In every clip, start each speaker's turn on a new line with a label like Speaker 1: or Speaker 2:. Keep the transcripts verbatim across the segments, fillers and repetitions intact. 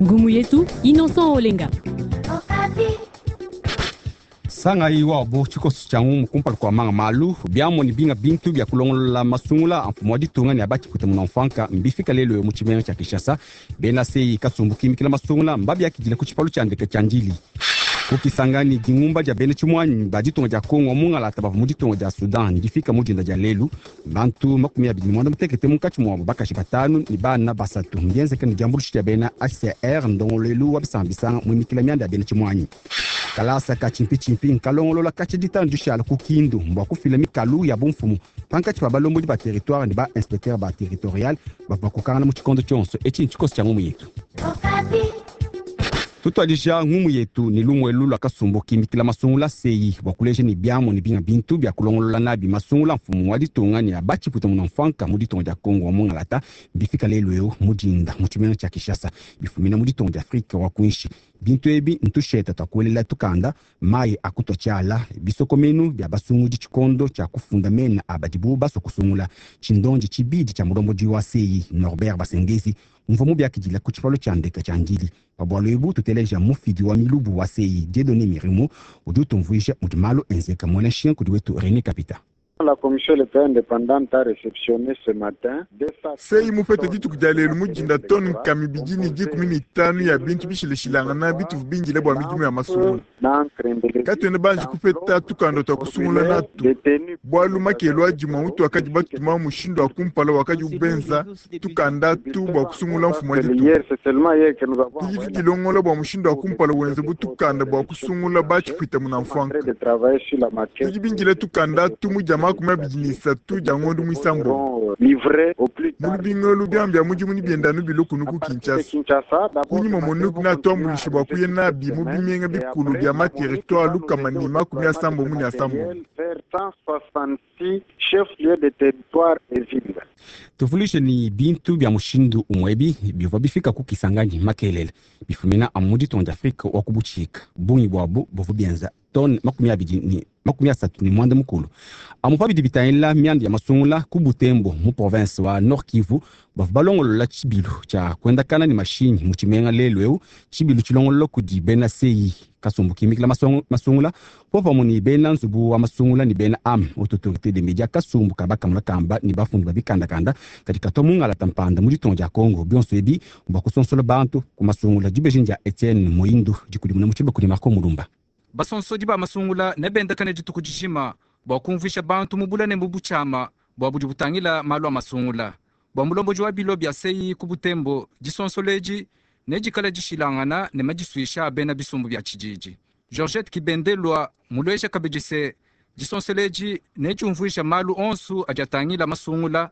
Speaker 1: Ngumu yetu Innocent Olenga.
Speaker 2: Sangayi wabo tshikoso tshia ngumu kumpala kua manga malu biamua ne binga bintu bia kulongolola masungula a mfumu wa ditunga ne a batshipwita munanfuanka mbifika lelu mu tshimenga tshia Kinshasa. Bena C E I kasumbu kimikila masungula mbabiakidile ku tshipalu tshia ndeke tshia Ndjili. Ku Kisangani, dingumba dia bena tshimuanyi ba ditunga dia Kongo mungalata bavua mu ditunga dia Sudan ndifika mu dinda dia lelu, bantu makumi abidi ne muanda mutekete, munkatshi muabu bakaji batanu ne bana basatu. Mbienzeke ne diambuluisha dia bena H C R, ndongoluelu wa bisamba bisanga muimikila mianda ya bena tshimuanyi. Kalasa ka tshimpitshimpi nkalongolola katshia ditanu dishala ku Kindu bua kufila mikalu ya bumfumu pankatshi pa balombodi ba territoire ne ba inspecteur ba territorial bavua bakokangana mu tshikondo tshionso etshi. Ntshikoso tshia ngumu yetu. Tutuadija ngumu yetu ne lumuelu lua kasumbu kimikila masungula C E I bua kuleja ne biamu ne binga bintu bia kulongolola nabi masungula mfumu wa ditunga ne abatshiputa munanfuanka mu ditunga dia Kongo wa mungalata bifika lelu eu mu dinda mu tshimenga tshia Kinshasa, bifumina mu ditunga dia Afrika wa kuinshi. Bintu ebi ntusheta tua kuelela tukanda, mayi akutua tshiala, bisokomenu bia basungudi tshikondo tshia kufunda mena a badibu basua kusungula. Tshindondi tshibidi tshia mulombodi wa C E I Norbert Basengezi mvua mubiakidila ku tshipalu tshia ndeke tshia Ndjili. Pa bualu ebu tuteleja mufidi wa milubu wa C E I Dieudonné Mirimo udi utumvuija mudi malu enzeka, muena nshinga kudi wetu René Kapita.
Speaker 3: La commission électorale indépendante a réceptionné ce matin
Speaker 4: C E I mupete dituku dia lelu mu dinda tone nkama ibidi ne dikumi ne itanu ya bintu bishilashilangana bituvu bindile bua midimu ya masungula. Katuena banji kupeta tukanda tua kusungula natu bualu makelu adimua mutu wakadi batuma mushindu wa kumpala wakadi ubenza tukanda tu bua kusungula mfumu wa ditunga. Tudi tudilongola bua mushindu wa kumpala wenze bu tukanda bua kusungula batshipwita munanfuanka. Tudi bindile tukanda tu mu dia makumi abidi ne isatu dia ngondo muisambombo. Mu lubingo biambi bia mudimu ni bienda nu biloko ku Kinshasa. Kunyima MONUC natuambuluisha bua kuya nabi mu bimenga bikulu bia ma territoire lukama ne makumi asambombo ne asambombo.
Speaker 3: Chef-lieu de territoire et ville.
Speaker 2: Tuvulishe ni bintu bia mushindu umwebi bivua bifika ku Kisangani makelele, bifumina amu mu ditunga dia Afrika wa kubutshika. Bungi buabu buvua bienza tone makumi abidi ne makumi asatu ne muanda mukulu. Amu pa bidi bitangila mianda ya masungula, ku Butembo mu province wa Nord Kivu bavua balongolola tshibilu tshia kuendakana ne mashinyi mu tshimenga lelu eu. Tshibilu tshilongolola kudi bena C E I kasumbu kimikila masungula popamue ne bena nzubu wa masungula ne bena am haute autorité des médias, kasumbu ka bakamula kamba ne bafundi ba bikandakanda kadi katua mungalata mpanda mu ditunga dia Congo. Bionso ebi bua kusonsola bantu ku masungula. Dibeji dia Etienne Moindu, dikudimuna mu tshiba kudi Marco Mulumba.
Speaker 5: Basonsodi ba masungula ne bendakane dituku dijima bua kumvuisha bantu mu bula ne mu butshiama bua budi butangila malu a masungula. Bua mulombodi wa bilo bia C E I ku Butembo, disonsola edi nedikala dishilangana ne madisuisha a bena bisumbu bia tshididi. Georgette Kibendelwa mulwesha kabidi se disonsola edi nediumvuisha malu onso adi atangila masungula,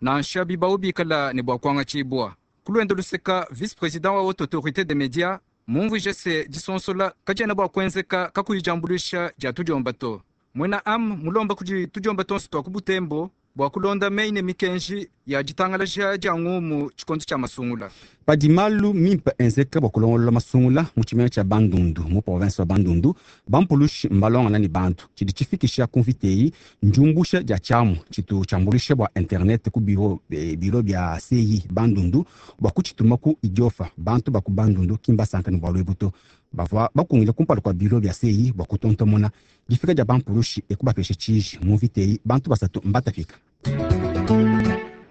Speaker 5: nansha bibawu bikala ne bua kuangatshibua. Ku luende luseka, vice président wa haute autorité des médias mumvuije se disonsola kadiena bua kuenzeka kakuyi diambuluisha dia tudiomba to. Muena am mulomba kudi tudiomba tonso tua ku Butembo bua kulonda meyi ne mikenji ya ditangalaja dia ngumu tshikondo tshia masungula.
Speaker 2: Padi malu mimpe enzeka bua kulongolola masungula mu tshimenga tshia Bandundu mu province wa Bandundu, bampulushi mbalongana ne bantu. Tshidi tshifikisha ku mvita eyi ndiumbusha dia tshiamu tshitu tshiambuluisha bua internet ku biro, eh, biro bia C E I Bandundu bua kutshituma ku Idiofa. Bantu ba ku Bandundu ki mbasanka ne bualu ebu to. Bavua bakungile kumpala kua biro bia C E I bua kutontomona difika dia bampulushi ekubapesha tshiji. Mu mvita eyi bantu basatu mbatapika.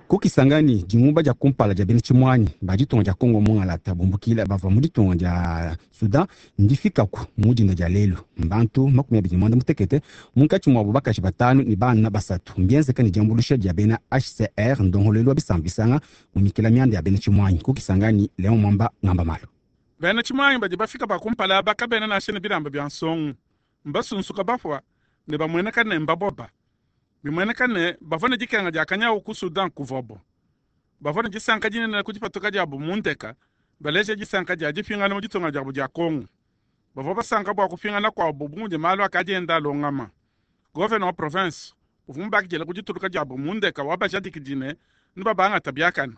Speaker 2: Ku Kisangani, dingumba dia kumpala dia bena tshimuanyi ba ditunga dia Kongo mungalata bumbukila bavua mu ditunga dia Sudan ndifikaku mu dinda dia lelu, mbantu makumi abidi ne muanda mutekete, munkatshi muabu bakaji batanu ne bana basatu. Mbienzeka ne diambuluisha dia bena H C R, ndongoluelu wa bisamba bisanga mu mikila mianda ya bena tshimuanyi. Ku Kisangani, Leon Mwamba ngamba malu.
Speaker 6: Bena tshimuanyi badi bafika ba kumpala aba kabena nansha ne bilamba bia nsongo, mbasunsuka bafua ne bamueneka ne mbaboba. Bimueneka ne bavua ne dikenga dia kanyawu ku Sudan kuvobo. Bavua ne disanka dinene ku dipatuka diabu mu ndeka, baleja disanka dia dipingana mu ditunga diabu dia Kongo. Bavua basanka bua kupingana kuabu bu mudi malu akadi enda alongama. Gouverneur wa province uvua mubakidile ku dituluka diabu mu ndeka wa bajadikidi ne ne babangata biakane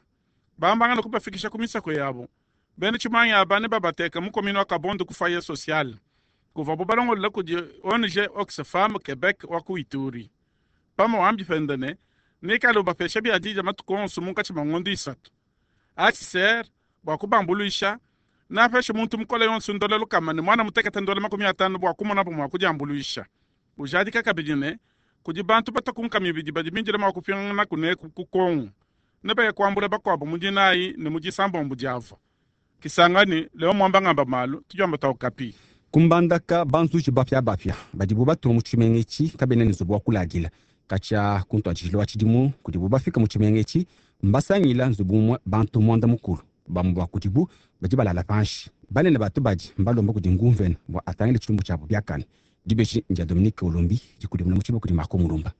Speaker 6: bambangana kubafikisha ku misako yabu. Bena tshimuanyi aba ne babateka mu commune wa Kabondo ku foyer social kuvabu balongolola kudi O N G Oxfam Quebec wa ku Ituri. Pama wambi pende ne nikale ubapesha biadija matuku onso munkatshi mua ngondo isatu. H C R bua kubambuluisha. Napeshe muntu mukole yonso ndola lukama ne mwana mutekete ndola makumi atanu bua kumonabu mua kudiambuluisha. Ujadika kabidi ne kudi bantu batakunka mibidi badi bindile mua kupingana kuneku ku Kongo ne baye kuambula bakuabu mu dinayi ne mu disambombo diavo. Kisangani leo mwamba ngamba malu tujamba taukapi.
Speaker 2: Kumbandaka banzuji bapya bapya badibu batuma mu tshimenga etshi kabena ne nzubu wa kuladila katshia ku ntuadijilu wa tshidimu kudibu bafika mu tshimenga etshi mbasangila nzubu umue bantu muanda mukulu bamue ba kudibu badi balala panshi banene batu badi mbalomba kudi ngumvene bua atangile tshilumbu tshiabu biakane. Dibeji ndia Dominique Olombi dikudimuna mu tshiba kudi Marco Mulumba.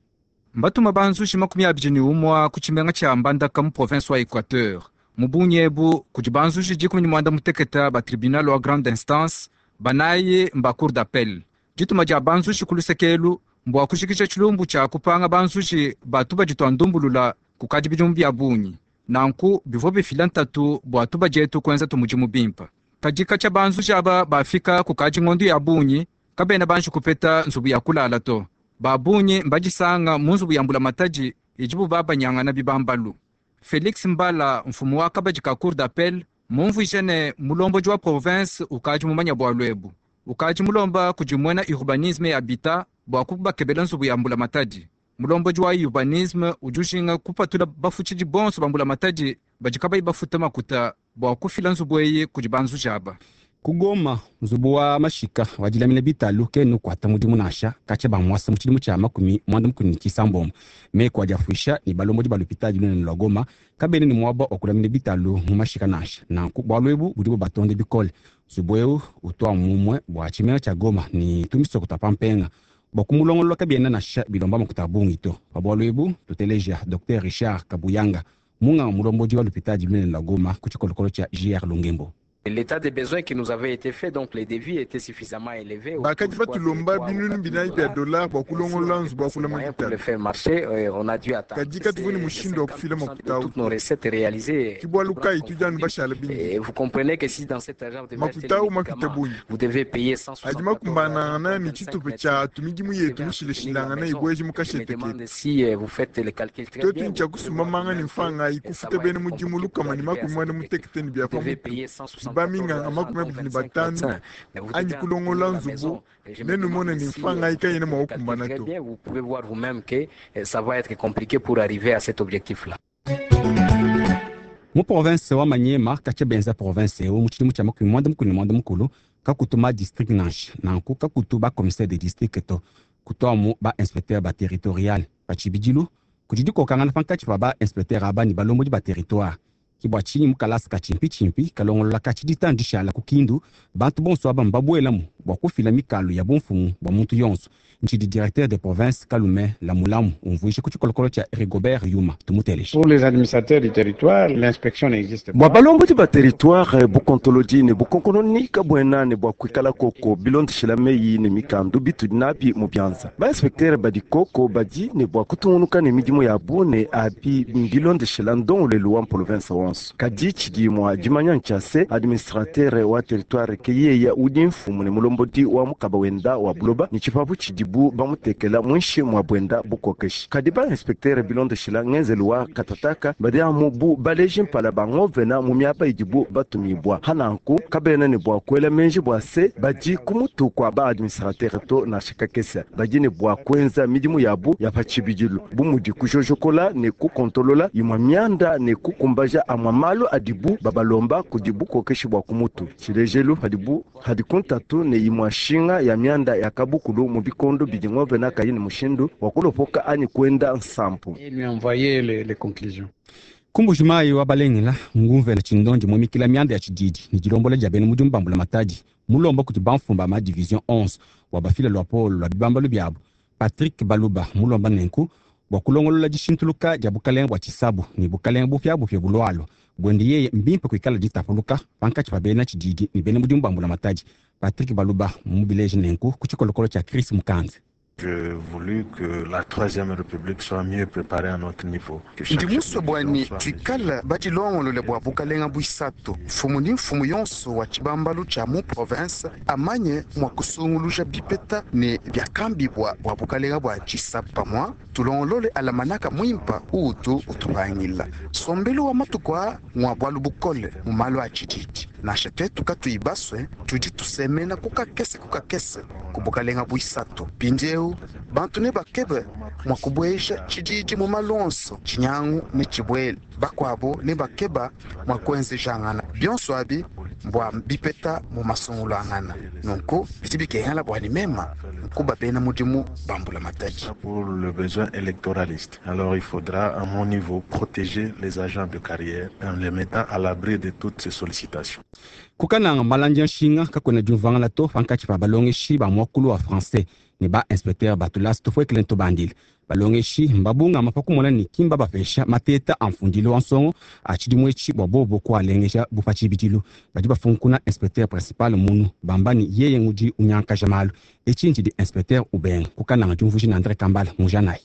Speaker 5: Mbatuma banzuji makumi abidi ne umua ku tshimenga tshia Mbandaka mu province wa Equateur. Mu bungi ebu kudi banzuji dikumi ne muanda mutekete ba tribunal wa grande instance banayi mba cour d'appel. Dituma dia banzuji ku lusekelu mbua kujikija tshilumbu tshia kupanga banzuji batu badi ndumbulula kukadi bidimu bia bungi. Nanku bivua bifila ntatu bua tubadietu kuenza tumudimu bimpa. Kadi katshia banzuji aba bafika kukadi ngondo ya bungi kabena banji kupeta nzubu ya kulala to. Ba bungi mbadisanga mu nzubu ya mbulamatadi idibu babanyangana bibambalu. Felix Mbala mfumu wa kabadi ka cour d'appel mumvuije ne mulombodi wa province ukadi mumanya bualu ebu. Ukadi mulomba kudi muena urbanisme ya habitat bua kubakebela nzubu ya mbulamatadi. Mulombodi wa urbanisme udi ujinga kupatula bafutshidi bonso ba mbulamatadi badi kabayi bafuta makuta bua kufila nzubu eyi kudi banzuji aba.
Speaker 2: Kugoma nzubu wa mashika wa dilamina bitalu kenu kuata mudimu nansha katshia bamwasa mu tshidimu tshia makumi muanda mukulu ne tshisambombo. Meku adi afuisha ne balombodi ba lupitadi lunene lua Goma kabena ne muaba wa kulamina bitalu mu mashika nansha. Nanku bualu ebu budi bubatonde bikole. Nzubu eu utua mumue bua tshimenga tshia Goma ne tumisoko tua pampenga. Bua kumulongolola kabiena nansha bilomba makuta a bungi to. Pa bualu ebu tuteleja Docteur Richard Kabuyanga munganga mulombodi wa lupitadi lunene lua Goma ku tshikolokolo tshia J R Lungembo.
Speaker 7: L'état des besoins qui nous avait été fait, donc les devis étaient suffisamment élevés.
Speaker 4: Bakati batulomba binunu binayi bya dollar bua kulongolola nzubu wa kulama
Speaker 7: Pour le faire marcher, on a dû attendre.
Speaker 4: Kadi katuvua ne mushindu wa kufila makuta awu.
Speaker 7: Toutes nos recettes réalisées.
Speaker 4: Ki bualu kayi tudi anu bashala bindi.
Speaker 7: Et vous comprenez que si dans cet argent vous devez acheter
Speaker 4: Makuta
Speaker 7: les
Speaker 4: awu mapite
Speaker 7: médicaments,
Speaker 4: bungi.
Speaker 7: vous devez payer cent
Speaker 4: Adi makumbanangana ne tshitupa tshia tumidimu yetu mishilashilangana ibweje mu
Speaker 7: Je me
Speaker 4: kashete ketu.
Speaker 7: demande si euh, vous faites le calcul très
Speaker 4: Twetu
Speaker 7: bien.
Speaker 4: ntshia kusumba ne mfanga ikufuta bena mudimu lukama ne makumi muanda mutekete ne bia
Speaker 7: Vous devez
Speaker 4: pamutu.
Speaker 7: payer cent soixante
Speaker 4: Baminganga makumi abidi ne batanu anyi kulongola nzubu nenumone ne mfanga ikayene mua kukumbana
Speaker 7: Très
Speaker 4: to.
Speaker 7: bien, vous pouvez voir vous-même que euh, ça va être compliqué pour arriver à cet objectif-là.
Speaker 2: Mu province wa Maniema katshia benza province eu mu tshidimu tshia makumi muanda mukulu ne muanda mukulu kakutuma district nansha. Nanku kakutu ba commissaire de district to kutuamu ba inspecteur ba territorial pa tshibidilu kudi dikokangana pankatshi pa ba inspecteur aba ne balombodi ba territoire. Ki bua tshinyi mu kalasa ka tshimpitshimpi kalongolola ka tshidita ndishala ku Kindu bantu bonso aba mbabuelamu bua kufila mikalu ya bumfumu bua muntu yonso. Ntshidi directeur de province Kalume Lamulamu umvuije ku tshikolokolo tshia Rigobert Yuma tumuteleje.
Speaker 8: Pour les administrateurs du territoire, l'inspection n'existe
Speaker 9: Bua
Speaker 8: pas.
Speaker 9: balombodi ba territoire bukontolodi ne bukonkononi kabuena ne bua kuikala koko bilondeshela meyi ne mikandu bitudi nabi mu bianza. Ba inspecteur badi koko badi ne bua kutungunuka ne midimu yabu ne abi bilondeshela ndongolelu wa province wonso. Kadi tshidi mua dimanya ntshia se administrateur wa territoire ke yeya udi mfumu ne mulombodi wa mukaba wenda wa buloba ne tshipapu tshidibu bamutekela muinshi mua buenda bukokeshi. Kadi ba inspecteur bilondeshela ngenzelu wa katataka badi amu bu baleji mpala bangovena mu miaba idibu batumibua. Hananku kabena ne bua kuela menji bua se badi ku mutu kua ba administrateur to nansha kakese. Badi ne bua kuenza midimu yabu ya pa tshibidilu bu mudi kujojokola ne kukontolola imua mianda ne kukumbaja amua malu adibu babalomba kudi bukokeshi bua ku mutu. Tshilejelu padibu hadi ku ntatu ne imua nshinga ya mianda ya kabukulu mu bikondo bidi ngovena kayi ne mushindu wa kulopoka anyi kuenda nsampu.
Speaker 8: Et lui envoyer les, les conclusions.
Speaker 2: Kumbuji mayi wa balengela ngumvela tshindondi mumikila mianda ya tshididi ne dilombola dia bena mudimu ba mbulamatadi mulomba kudi bamfumba ma division onze wa bafila lua polo lua bibambalu biabu. Patrick Baluba mulomba nenku bua kulongolola dishintuluka dia bukalenga bua tshisabu ne bukalenga bupiabupia bulualua buende yeye mbimpe kuikala ditapuluka pankatshi pa bena tshididi ne bena mudimu ba mbulamatadi. Patrick Baluba mubileje nenku ku tshikolokolo tshia Chris Mukanze.
Speaker 10: J'ai voulu que la Troisième République soit mieux préparée à notre niveau. Que chaque
Speaker 11: Ndi musue bua ne
Speaker 10: division soit
Speaker 11: tuikale badilongolole bua bukalenga buisatu. Mfumu ni mfumu yonso wa tshibambalu tshia mu province amanye mua kusunguluja bipeta ne biakambibua bua bukalenga bua tshisabu pamua tulongolole alamanaka muimpa uutu utubangila. Sombelu wa matuku aa ngwa bualu bukole mu malu a tshididi. Nansha twetu katuyi baswe, tudi tusemena ku kakese ku kakese ku bukalenga bwisatu. Mpindiewu bantu ne bakebe mwa kubweja tshididi mu malonso, tshinyangu ne tshibwele. Bakwabo ne bakeba mwa kwenzejangana. Bionso abi mbwa bipeta mu masungulangana. Nunku bidi bikengela bwa nimema nkuba bena mudimu bambula matadi.
Speaker 10: Pour le besoin électoraliste. Alors il faudra, à mon niveau, protéger les agents de carrière en les mettant à l'abri de toutes ces sollicitations.
Speaker 2: Kukananga malandi ya nshinga kakwena diumvangana to pankatshi pa balongeshi ba muakulu wa français ne ba inspecteur ba tulasa tufuekele ntubandile. Balongeshi mbabungama pa kumona ne kimba bapesha mateta a mfundilu wa nsongo a tshidimu etshi bua bobo kualengeja bu pa tshibidilu. Badi bafunkuna inspecteur principal munu bamba ne yeye ngudi unyankaja malu. Etshi ntshidi inspecteur ubenga. Kukananga diumvuija ne André Kambala mujanayi.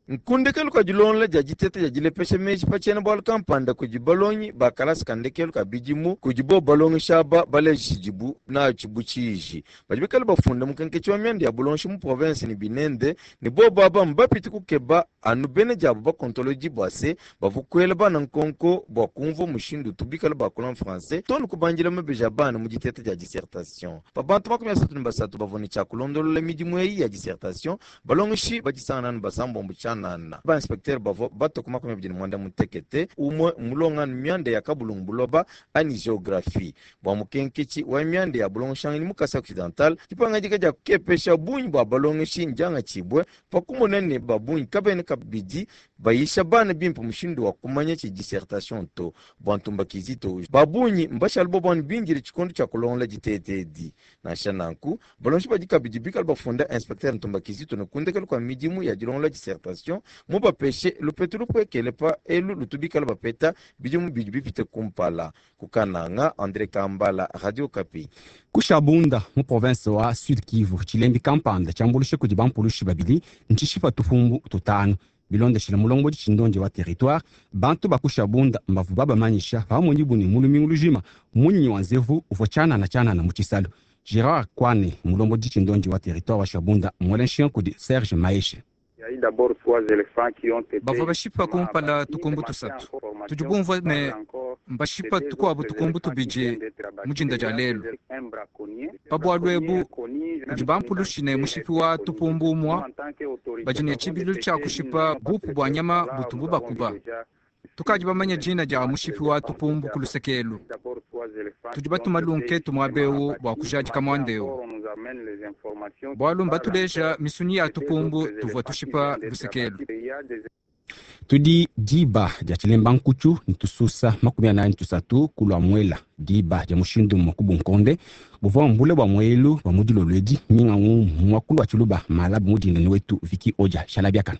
Speaker 12: Nkundekelu ka dilongola dia diteta dia dilepesha meji pa tshiena bualu kampanda kudi balongi ba kalasa ka ndekelu ka bidimu kudi bo balongesha aba baleja tshidibu natshi bu tshiji. Badi bikale bafunda mukenketshi wa mianda ya bulongeshi mu province ne binende ne bobo aba mbapite kukeba anu bena diabo bakontolodi bua se bavua kuela bana nkonko bua kumvua mushindu utu bikale bakula mu français to ne kubandila mabeji a bana mu diteta dia dissertation. Pa bantu makumi asatu ne basatu bavua ne tshia kulondolola midimu eyi ya dissertation, balongeshi badisangana anu basambombo tshianana. Ba inspecteur bavua bato ku makumi abidi ne mwanda mutekete, umwe mulonganu mianda ya kabulungu buloba ani géographie. Bua mukenketshi wa mianda ya bulongeshanganyi mu Kasai Occidental, dipangadika dia kukepesha bungi bua balongeshi ndiangatshibue pa kumona ne babungi kabena kabidi bayisha bana bimpe mushindu wa kumanya tshi dissertation to. Bua Ntumba Kizito, babungi mbashala bo bana bindile tshikondo tshia kulongola ditete edi. Nansha nanku, balongeshi badi kabidi bikale bafunda inspecteur Ntumba Kizito ne kundekelu kua midimu ya dilongola dissertation mubapeshe lupetu lupwekele pa elu lutu bikale bapeta bidimu bidi bipite kumpala. Kukananga, André Kambala, Radio Okapi.
Speaker 2: Kushabunda mu province wa Sud Kivu, tshilembi kampanda tshiambuluishe kudi bampulushi babidi ntshishipa tupumbu tutanu. Bilondeshile mulombodi tshindondi wa territoire, bantu bakushabunda mbavu babamanyisha pamwe ne mulumingu lujima munyinyi wa nzevu uvua tshianana tshianana mu tshisalu. Gérard Kwane, mulombodi tshindondi wa territoire wa Shabunda, mwele nshinga kudi Serge Maeshe.
Speaker 5: Bavua bashipa kumpala tukumbu tusatu. Tudi bumvua ne mbashipa tukuabu tukumbu tubidi mu dinda dia lelu. Pa bualu ebu kudi bampulushi ne mushipi wa tupumbu umua badi ne tshibidilu tshia kushipa bupu bua nyama butubu bakuba. Tukadi bamanya dina dia mushipi wa tupumbu ku lusekelu. Tudi batuma lunketu muabewu bua kujadika muandewu. Bualu mbatuleja misunyi ya tupumbu tuvua tushipa lusekelu.
Speaker 2: Tudi diba dia tshilemba nkutshu ntususa makumi anayi ntusatu kulua muela diba dia mushindu mwa kubunkonde buvua mbule bua muelu bua mudilolo edi minga mu mwakulu wa tshiluba malabu mudinda ni wetu Viki Odia shalabiakana.